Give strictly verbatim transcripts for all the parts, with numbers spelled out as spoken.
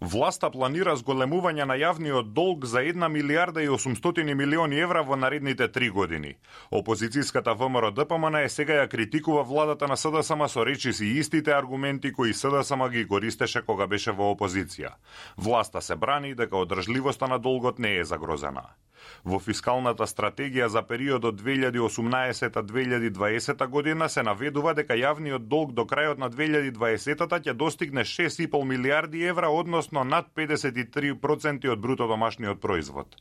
Власта планира зголемување на јавниот долг за една милијарда и осумстотини милиони евра во наредните три години. Опозицијската ВМРО-ДПМН е сега ја критикува владата на СДСМ со речиси истите аргументи кои СДСМ ги користеше кога беше во опозиција. Власта се брани дека одржливоста на долгот не е загрозена. Во фискалната стратегија за периодот две илјади и осумнаесета до две илјади и дваесета година се наведува дека јавниот долг до крајот на две илјади и дваесетата ќе достигне шест и пол милијарди евра, односно над педесет и три проценти од бруто домашниот производ.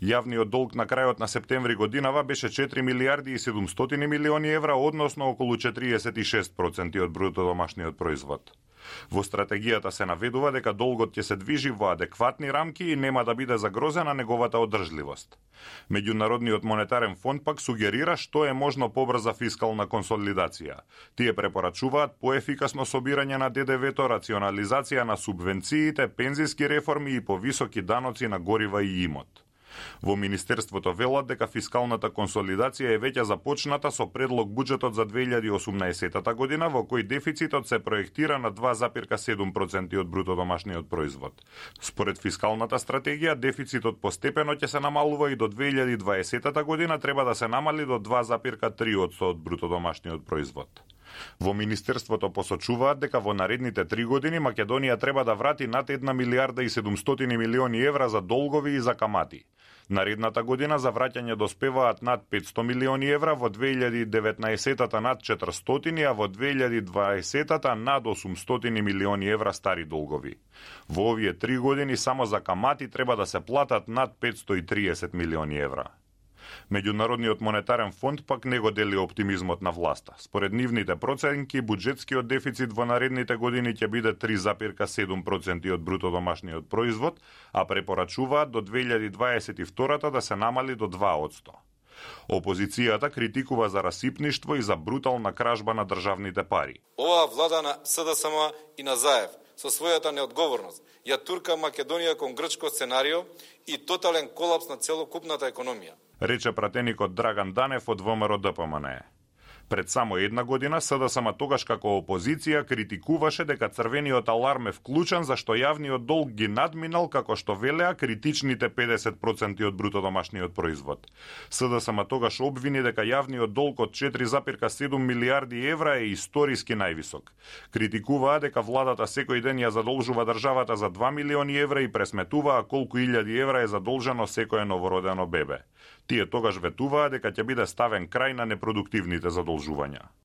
Јавниот долг на крајот на септември годинава беше четири милијарди и седумстотини милиони евра, односно околу четириесет и шест проценти од бруто домашниот производ. Во стратегијата се наведува дека долгот ќе се движи во адекватни рамки и нема да биде загрозена неговата одржливост. Меѓународниот монетарен фонд пак сугерира што е можно побрза фискална консолидација. Тие препорачуваат поефикасно собирање на ДДВ-то, рационализација на субвенциите, пензиски реформи и повисоки даноци на горива и имот. Во Министерството велат дека фискалната консолидација е веќе започната со предлог буџетот за две илјади и осумнаесета година, во кој дефицитот се проектира на два запирка седум проценти од бруто домашниот производ. Според фискалната стратегија, дефицитот постепено ќе се намалува и до две илјади и дваесета година треба да се намали до два запирка три одсто од бруто домашниот производ. Во Министерството посочуваат дека во наредните три години Македонија треба да врати над една милијарда и седумстотини милиони евра за долгови и за камати. Наредната година за враќање доспеваат над петсто милиони евра, во две илјади и деветнаесетата над четиристотини, а во две илјади и дваесетата над осумстотини милиони евра стари долгови. Во овие три години само за камати треба да се платат над петсто и триесет милиони евра. Меѓународниот монетарен фонд пак не го дели оптимизмот на власта. Според нивните проценки, буџетскиот дефицит во наредните години ќе биде три запирка седум проценти од бруто домашниот производ, а препорачуваат до две илјади дваесет и втора да се намали до два одсто. Опозицијата критикува за расипништво и за брутална кражба на државните пари. Оваа влада на СДСМ и на Заев со својата неодговорност ја турка Македонија кон грчко сценарио и тотален колапс на целокупната економија, рече пратеникот Драган Данев од ВМРО-ДПМН. Пред само една година СДСМ тогаш како опозиција критикуваше дека црвениот аларм е вклучен зашто јавниот долг ги надминал, како што велеа, критичните педесет проценти од бруто домашниот производ. СДСМ тогаш обвини дека јавниот долг од четири запирка седум милијарди евра е историски највисок. Критикуваа дека владата секој ден ја задолжува државата за два милиони евра и пресметуваа колку илјади евра е задолжено секое новородено бебе. Тие тогаш ветуваа дека ќе биде ставен крај на непродуктивните задолжувања.